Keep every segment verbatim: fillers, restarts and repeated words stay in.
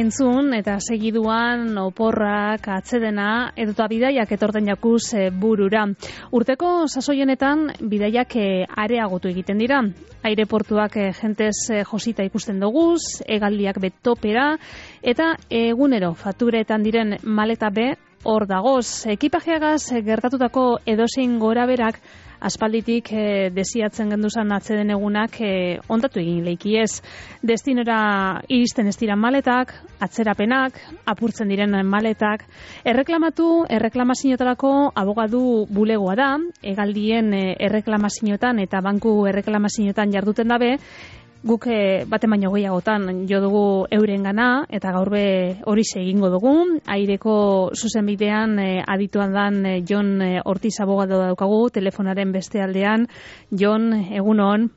entzun eta segiduan oporrak, atsedena edota bidaiak etorten jakuz e, burura. Urteko sasoi honetan bidaiak e, areagotu egiten dira. Aireportuak e, jentez e, josita ikusten doguz, hegaldiak betopera eta egunero fakturetan diren maleta be hor dagoz. Ekipajeagaz e, gertatutako edozein goraberak aspalditik e, desiatzen genduzan atzeden egunak e, ondatu egin leikiez. Destinora iristen ez dira maletak, atzerapenak, apurtzen diren maletak. Erreklamatu, erreklamazioetarako abogadu bulegoa da, hegaldien e, erreklamazioetan eta banku erreklamazioetan jarduten dabe, guk e, bate baino gehiagotan jo dugu eurengana eta gaur be horixe egingo dugu. Aireko zuzenbidean e, adituan dan e, Jon e, Ortiz abogado daukagu telefonaren beste aldean. Jon, egunon.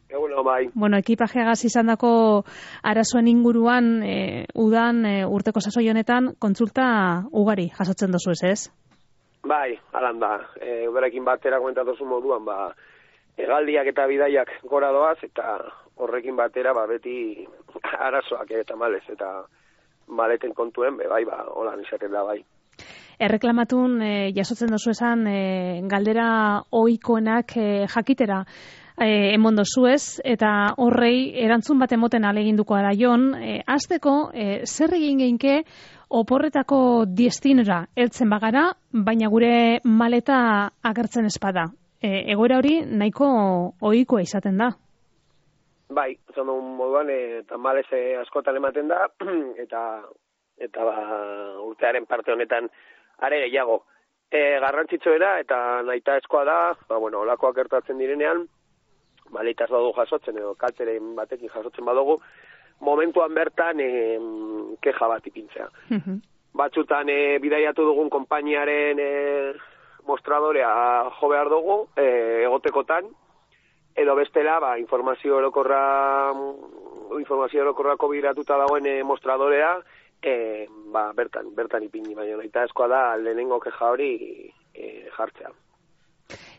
Egunon, bai. Bueno, ekipajeagaz izandako arazoen inguruan e, udan e, urteko sasoi honetan kontsulta ugari jasotzen dozu ez, ez? Bai, alan da. E, Uberekin batera komentatu moduan, ba, hegaldiak eta bidaiak gora doaz, eta horrekin batera ba, beti arazoak eta malez, eta maleten kontuen, be, bai, ba, holan izaten da, bai. Erreklamatun e, jasotzen dozu esan e, galdera ohikoenak e, jakitera e, emon dozu ez, eta horrei erantzun bat emoten aleginduko ara Jon, e, azteko e, zer egin geinke oporretako destinora heltzen bagara, baina gure maleta agertzen espada. E, egoera hori nahiko ohikoa izaten da. Bai, zondo moduan, e, tamalez e, askotan ematen da, eta eta ba, urtearen parte honetan are gehiago. E, garrantzitsuena eta nahitaezkoa da, ba, bueno, olakoak gertatzen direnean, maleitaz badugu jasotzen, edo kalteren batekin jasotzen badugu, momentuan bertan e, keja bat ipintzea. Uh-huh. Batzutan e, bidaiatu dugun konpainiaren e, mostradorea jo behar dugu, e, egotekotan, edo bestela, ba, informazio orokorra, informazio orokorrako biratuta dagoen e, mostradorea, e, ba, bertan, bertan ipini, baina naita eskoa da lehenengo keja hori e, jartzea.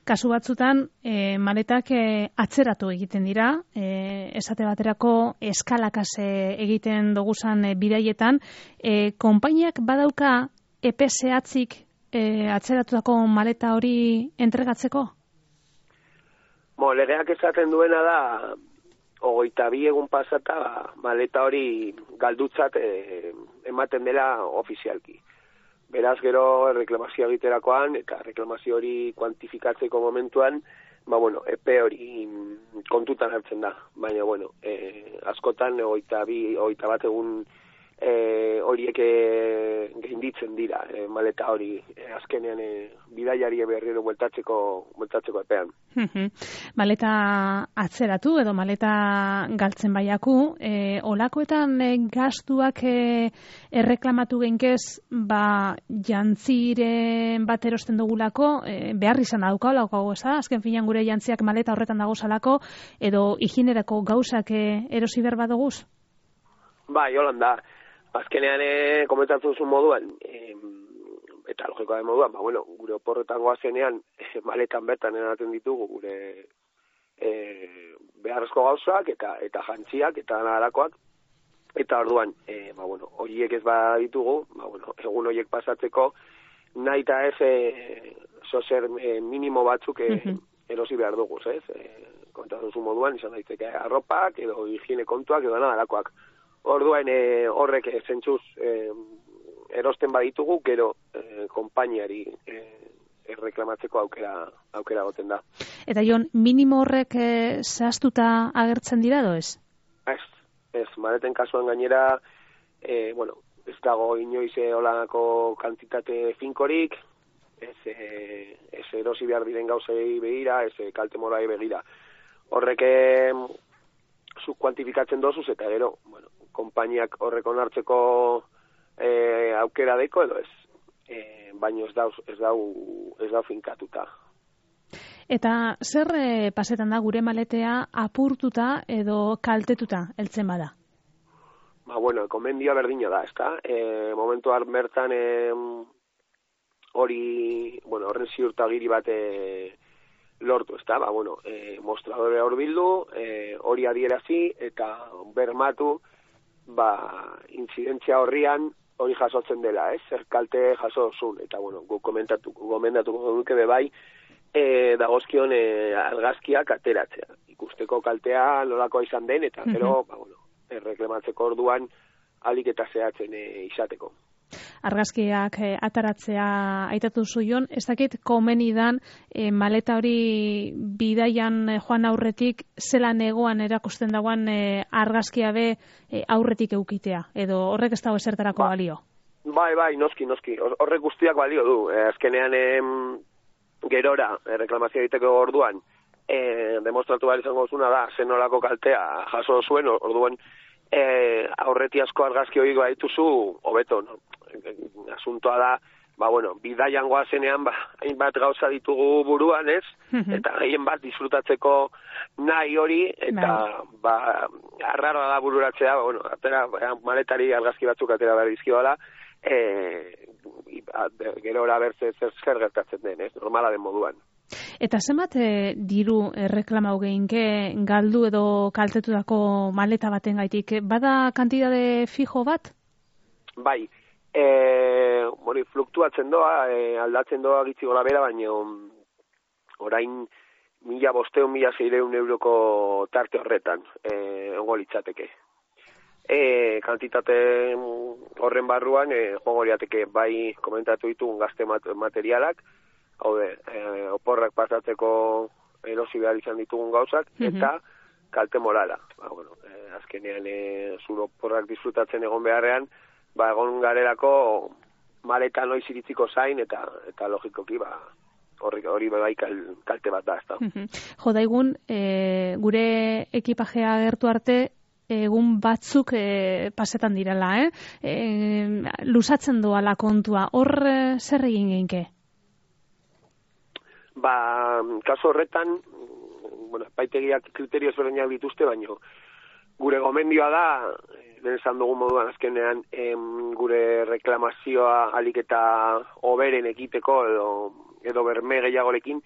Kasu batzutan, e, maletak e, atzeratu egiten dira, e, esate baterako eskalakaz e, egiten doguzan e, bidaietan, e, konpainiak badauka epe zehatzik e, atzeratutako maleta hori entregatzeko? Bo, legeak esaten duena da, hogeita bi egun pasata, maleta hori galdutzat e, ematen dela ofizialki. Beraz, gero reklamazio egiterakoan, eta reklamazio hori kuantifikatzeko momentuan, ba, bueno, epe hori kontutan hartzen da. Baina, bueno, e, askotan, hogeita bi, hogeita bat egun e, horiek e, gainditzen dira, e, maleta hori e, azkenean e, bidaiari berriro bueltatzeko, bueltatzeko epean. Maleta atzeratu edo maleta galtzen baiaku, e, olakoetan e, gastuak e, erreklamatu geinkez, ba, jantziren bat erosten dugulako, e, behar izan dauka olako goza, azken finan gure jantziak maleta horretan dagozalako, edo higienerako gauzak e, erosi berba duguz? Bai, holan da. Azkenean, e, komentatzen zuen moduan, e, eta logikoa den moduan, ba, bueno, gure oporretan goazenean, e, maletan bertan eraten ditugu gure e, beharrezko gauzak, eta eta jantziak, eta naharakoak, eta orduan, e, ba, bueno, horiek ez baditugu, ba, bueno, egun horiek pasatzeko, nahi eta ez, e, sozer e, minimo batzuk e, uh-huh. erosi behar dugu, ez? E, komentatzen zuen moduan, izan daiteke arropak, edo higiene kontuak, edo naharakoak. Orduan e, horrek e, zentzuz e, erosten baditugu, gero e, konpainiari e, erreklamatzeko aukera aukera goten da. Eta Jon, minimo horrek e, zehaztuta agertzen dira edo ez? Ez, ez, maleten kasuan gainera, e, bueno, ez dago inoiz holanako kantitate finkorik, ez, e, ez erosi behar diren gauzei begira, ez e, kalte morai begira. Horrek e, zu kuantifikatzen dozuz, eta gero, bueno, konpainiak horrek onartzeko e, aukera deiko edo ez, e, baino ez dau, ez dau, ez dau finkatuta. Eta zer e, pasetan da gure maletea apurtuta edo kaltetuta heltzen bada? Ba, bueno, komendioa berdina da, ezta? E, momentuan bertan e, hori, bueno, horren ziurtagiri bat e, lortu, ezta? Ba, bueno, e, mostradore hor bildu, e, hori adierazi eta bermatu ba, intzidentzia horrian hori jasotzen dela, ez? Zer kalte jaso zuen, eta, bueno, gu komentatu, gomendatuko duke bebai, e, dagozkion e, argazkiak ateratzea. Ikusteko kaltea nolakoa izan den, eta gero, ba, bueno, erreklamatzeko orduan alik eta zehatzen e, izateko. Argazkiak e, ataratzea aitatu zuion, ez dakit komenidan e, maleta hori bidaian e, joan aurretik zelan egoan erakusten dagoan e, argazkia be e, aurretik eukitea, edo horrek ez dago esertarako ba, balio? Bai, bai, noski, noski, horrek guztiak balio du, e, azkenean em, gerora, e, reklamazioa egiteko orduan, e, demostratu behar izango zuna da, zenolako kaltea jaso zuen, orduan, e, aurretiazko argazki hori gaituzu, hobeto, no? Asuntoa da, ba, bueno, bidaian goazenean, ba, hainbat gauza ditugu buruan, ez? Eta gehien bat disfrutatzeko nahi hori, eta, ba, arraroa da bururatzea, ba, bueno, atera, maletari argazki batzuk atera behar dizkioala, e, gero hori bertze zer, zer gertatzen den, ez? Normala den moduan. Eta zenbat e, diru erreklamau geinke galdu edo kaltetutako maleta baten gaitik? Bada kantidade fijo bat? Bai, e, bueno, fluktuatzen doa, e, aldatzen doa gitzi gora bera, baina orain mila bosteun, mila zeireun euroko tarte horretan, e, ongo litzateke. E, kantitate horren barruan, e, ongo liateke bai komentatu ditugun gazte materialak, haude, e, oporrak pasatzeko erosi behar izan ditugun gauzak, mm-hmm. eta kalte morala. Ba, bueno, e, azkenean e, zuro oporrak disfrutatzen egon beharrean, ba, egon garelako maleta noiz iritziko zain, eta eta logikoki, ba, hori, hori bai kalte bat da, ez da. Mm-hmm. Jo, daigun, e, gure ekipajea gertu arte, egun batzuk e, pasetan direla, eh? E, lusatzen doala kontua, hor e, zer egin geinke? Ba, kaso horretan, bueno, paitegiak kriterio ezberdinak dituzte, baino gure gomendioa da, den esan dugun moduan azkenean, em, gure reklamazioa alik eta hoberen ekiteko edo, edo berme gehiagorekin,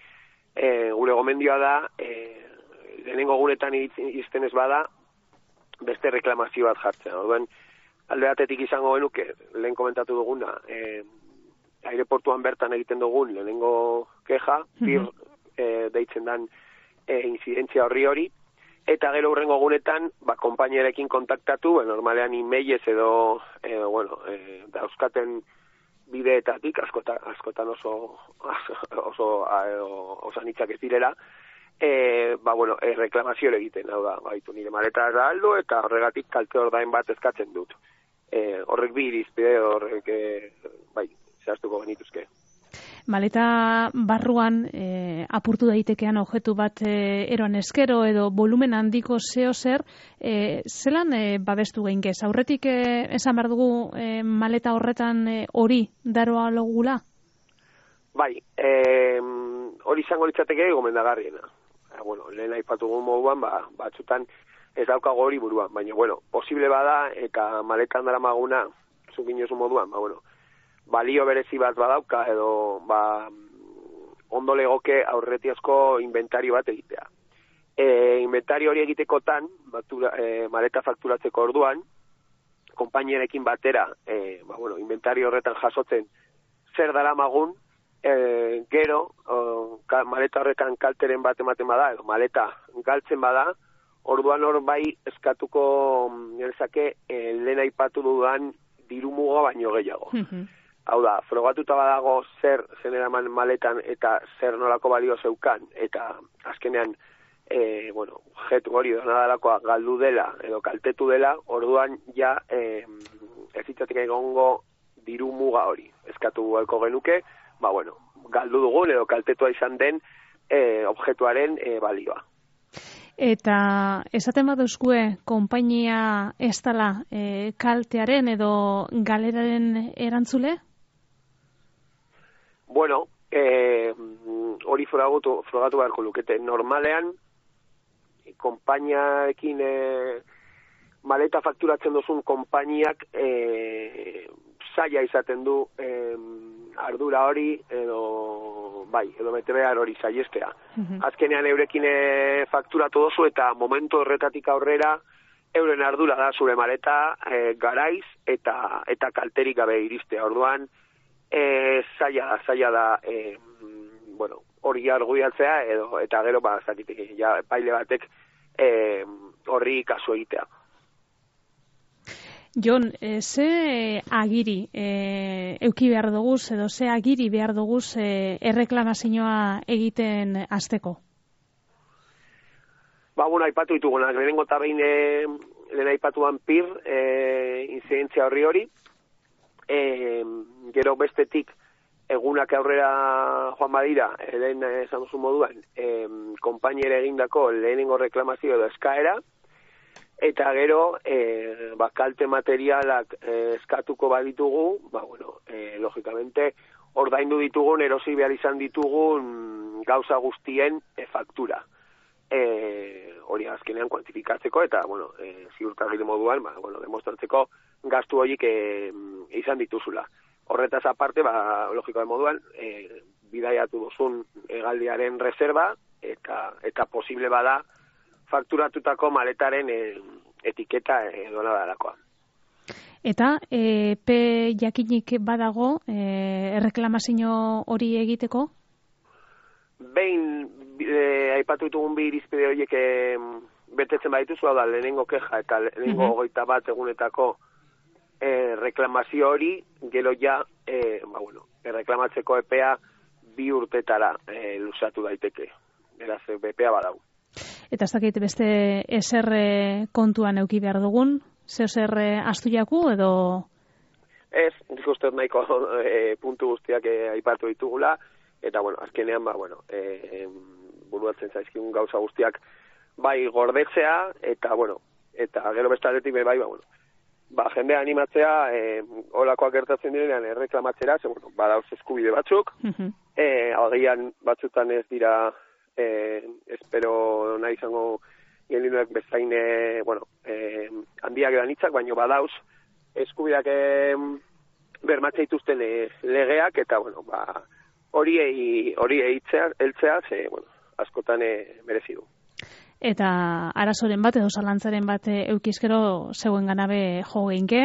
e, gure gomendioa da, e, lehenengo guretan izten ez bada, beste reklamazio bat jartzen. Orduan, alde batetik izango genuke, lehen komentatu duguna, e, aireportuan bertan egiten dugun lehenengo keja, bir e, deitzen dan e, incidentzia horri hori, eta gero hurrengo gunetan, ba, konpainierekin kontaktatu, ba, normalean emailez edo, e, bueno, e, dauzkaten bideetatik, askota, askotan oso, oso, oso, oso anitzak ez direla, e, ba, bueno, e, reklamazio egiten, hau da, baitu nire maleta da aldo, eta horregatik kalte ordain bat eskatzen dut. E, horrek bi irizpide, horrek, e, bai, zehaztuko genituzke. Maleta barruan e, apurtu daitekean objektu bat e, eroan eskero edo volumen handiko zeo zer, e, zelan e, babestu geinkez? Aurretik e, esan behar dugu e, maleta horretan e, hori daroa logula? Bai, e, hori izango litzateke gomendagarriena. E, bueno, lehen aipatu gu moduan, ba, batzutan ez daukago hori buruan, baina, bueno, posible bada eta maletan dara maguna, zukin jozu moduan, ba, bueno, balio berezi bat badauka edo ba, ondo legoke aurretiazko inventario bat egitea. E, inventario hori egitekotan, batura, e, maleta fakturatzeko orduan, konpainierekin batera, e, ba, bueno, inventario horretan jasotzen zer dara magun, e, gero, o, ka, maleta horretan kalteren bat ematen bada, edo maleta galtzen bada, orduan hor bai eskatuko nerezake e, lehen aipatu dudan dirumuga baino gehiago. Mm-hmm. Hau da, frogatuta badago zer zeneraman maletan eta zer nolako balio zeukan, eta azkenean, e, bueno, jetu hori donadalakoa galdu dela edo kaltetu dela, orduan ja e, ez itzatik egongo diru muga hori. Eskatu galko genuke, ba bueno, galdu dugun edo kaltetua izan den e, objektuaren e, balioa. Eta esaten baduzkue konpainia ez dela e, kaltearen edo galeraren erantzule? Bueno, eh, hori frogatu, frogatu beharko lukete. Normalean, konpainiaekin eh, maleta fakturatzen duzun konpainiak eh, zaila izaten du eh, ardura hori edo bai, edo bete behar hori zaiestea. Mm-hmm. Azkenean eurekin eh, fakturatu dozu eta momentu horretatik aurrera euren ardura da zure maleta e, garaiz eta eta kalterik gabe iristea. Orduan, e, zaila, zaila da, e, bueno, hori argudiatzea, edo, eta gero, ba, zakitik, ja, paile batek e, horri kasu egitea. Jon, e, ze agiri e, euki behar duguz, edo ze agiri behar duguz e, erreklamazioa egiten hasteko? Ba, bueno, aipatu ditugunak, lehenengo eta behin e, lehen aipatuan pir, e, inzidentzia horri hori, e, gero bestetik egunak aurrera joan badira, lehen esan duzu moduan, e, konpainere egindako lehenengo reklamazio edo eskaera, eta gero, e, ba, kalte materialak e, eskatuko baditugu, ba, bueno, e, logikamente, ordaindu ditugun, erosi behar izan ditugun gauza guztien e, faktura. E, hori azkenean kuantifikatzeko, eta, bueno, e, ziurtagile moduan, ba, bueno, demostratzeko gastu horiek e, izan dituzula. Horretaz aparte, ba, logikoa moduan, e, bidaiatu duzun hegaldiaren reserva, eta, eta posible bada, fakturatutako maletaren e, etiketa edo nadalakoa. Eta e, pe jakinik badago e, erreklamazio hori egiteko? Behin e, aipatu ditugun bi irizpide horiek e, betetzen badituzu, hau da, lehenengo keja eta lehenengo hogeita uh-huh. bat egunetako e, reklamazio hori, gero ja, e, ba, bueno, erreklamatzeko epea bi urtetara e, luzatu daiteke. Beraz, epea badau. Eta ez dakit beste eser kontuan euki behar dugun? Zeo zer astu jaku edo? Ez, nik uste nahiko e, puntu guztiak e, aipatu ditugula, eta, bueno, azkenean, ba, bueno, e, buruatzen zaizkigun gauza guztiak bai gordetzea, eta, bueno, eta gero bestaletik bai, ba, bueno, ba, jendea animatzea, e, olakoak gertatzen direnean erreklamatzera, ze, bueno, badauz eskubide batzuk, uh-huh. e, agian batzutan ez dira, e, espero nahi izango geniluek bezain, e, bueno, e, handiak edan hitzak, baino badauz eskubideak e, bermatzea dituzten e, legeak, eta, bueno, ba, hori hori eitzea, eltzea, ze, bueno, askotan e, merezi du. Eta arazoren bat edo zalantzaren bat eukizkero zeuen ganabe jo geinke,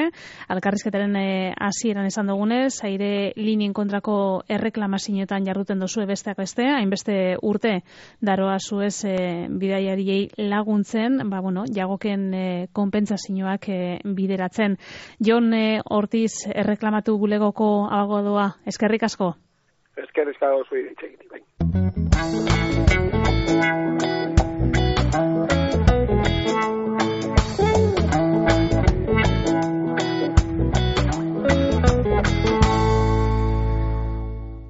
alkarrizketaren hasieran e, esan dugunez, aire linien kontrako erreklamazioetan jarruten dozue besteak beste, hainbeste urte daroa zuez e, bidaiariei laguntzen, ba, bueno, jagoken e, konpentsazioak e, bideratzen. Jon e, Ortiz erreklamatu bulegoko abagodoa, eskerrik asko? Eskerrik asko zui ditzegitik, bai.